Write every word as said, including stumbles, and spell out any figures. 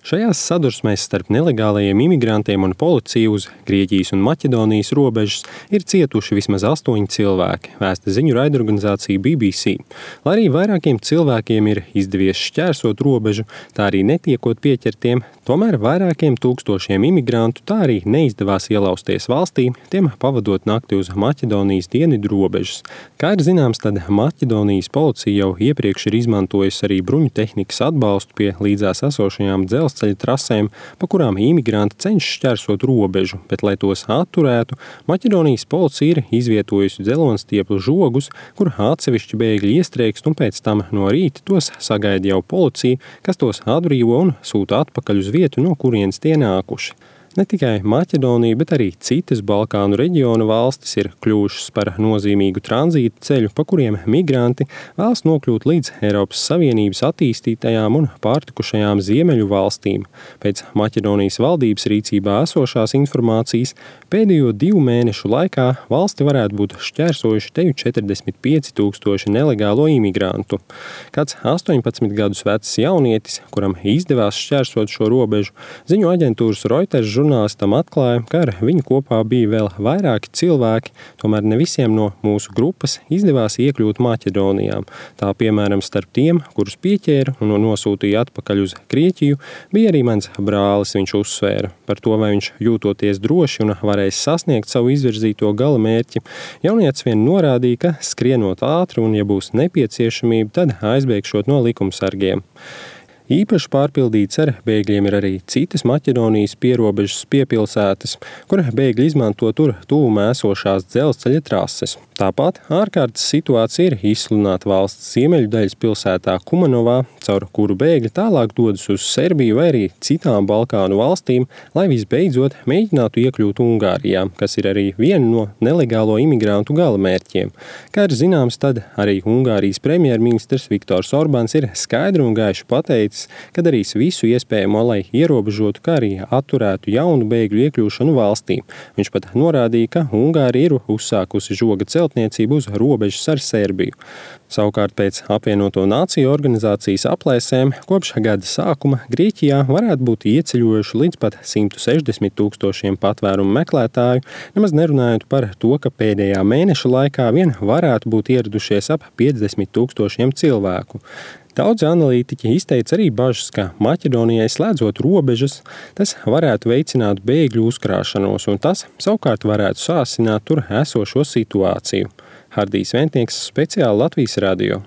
Šajās sadursmēs starp nelegālajiem imigrantiem un policiju uz Grieķijas un Maķedonijas robežas ir cietuši vismaz astoņi cilvēki, vēsta ziņu raidorganizācija B B C. Lai arī vairākiem cilvēkiem ir izdevies šķērsot robežu, tā arī netiekot pieķertiem, tomēr vairākiem tūkstošiem imigrantu tā arī neizdevās ielausties valstī, tiem pavadot nakti uz Maķedonijas dienvidu robežas. Kā ir zināms, tad Maķedonijas policija jau iepriekš ir izmantojusi arī bruņu tehnikas atbalstu pie līdzās esošajām dzelzceļa trasēm, pa kurām imigranti cenšas šķērsot robežu, bet, lai tos atturētu, Maķedonijas policija ir izvietojusi dzeloņstieplu žogus, kur atsevišķi bēgļi iestrēgst, un pēc tam no rīta tos sagaida jau policija, kas tos atbrīvo un sūta atpakaļ uz vietu, no kurienes tie nākuši. Ne tikai Maķedonija, bet arī citas Balkānu reģiona valstis ir kļuvušas par nozīmīgu tranzīta ceļu, pa kuriem migranti vēlas nokļūt līdz Eiropas Savienības attīstītajām un pārtikušajām ziemeļu valstīm. Pēc Maķedonijas valdības rīcībā esošās informācijas pēdējo divu mēnešu laikā valsti varētu būt šķērsojuši teju četrdesmit pieci tūkstoši nelegālo imigrantu. Kāds astoņpadsmit gadus vecs jaunietis, kuram izdevās šķērsot šo robežu, ziņu aģentūras Reuters žurnālistam atklāja, ka ar viņu kopā bija vēl vairāki cilvēki, tomēr ne visiem no mūsu grupas izdevās iekļūt Maķedonijā. Tā piemēram starp tiem, kurus pieķēra un nosūtīja atpakaļ uz Grieķiju, bija arī mans brālis, viņš uzsvēra. Par to, vai viņš jūtoties droši un varēs sasniegt savu izvirzīto gala mērķi, jaunietis vien norādīja, ka skrienot ātri un, ja būs nepieciešamība, tad aizbēgšot no likumsargiem. Īpaši pārpildīts ar bēgļiem ir arī citas Maķedonijas pierobežas piepilsētas, kur bēgļi izmanto tur tuvumā esošās dzelzceļa trases. Tāpat ārkārtas situācija ir izsludināta valsts ziemeļu daļas pilsētā Kumanovā, caur kuru bēgļi tālāk dodas uz Serbiju vai arī citām Balkānu valstīm, lai visbeidzot mēģinātu iekļūt Ungārijā, kas ir arī viena no nelegālo imigrantu galamērķiem. Kā ir zināms, tad arī Ungārijas premjerministrs Viktors Orbāns ir skaidri un gaiši pateicis, ka darīs visu iespējamo, lai ierobežotu, kā arī atturētu jaunu bēgļu iekļūšanu valstī. Viņš pat norādīja, ka Ungārija ir uzsākusi žoga celtniecību uz robežas ar Serbiju. Savukārt pēc apvienoto nāciju organizācijas aplēsēm kopš gada sākuma Grieķijā varētu būt ieceļojuši līdz pat simt sešdesmit tūkstošiem patvērumu meklētāju, nemaz nerunājot par to, ka pēdējā mēneša laikā vien varētu būt ieradušies ap piecdesmit tūkstošiem cilvēku. Daudzi analītiķi izteica arī bažas, ka Maķedonijai slēdzot robežas, tas varētu veicināt bēgļu uzkrāšanos, un tas savukārt varētu sāsināt tur esošo situāciju. Hardijs Ventnieks, speciāli Latvijas radio.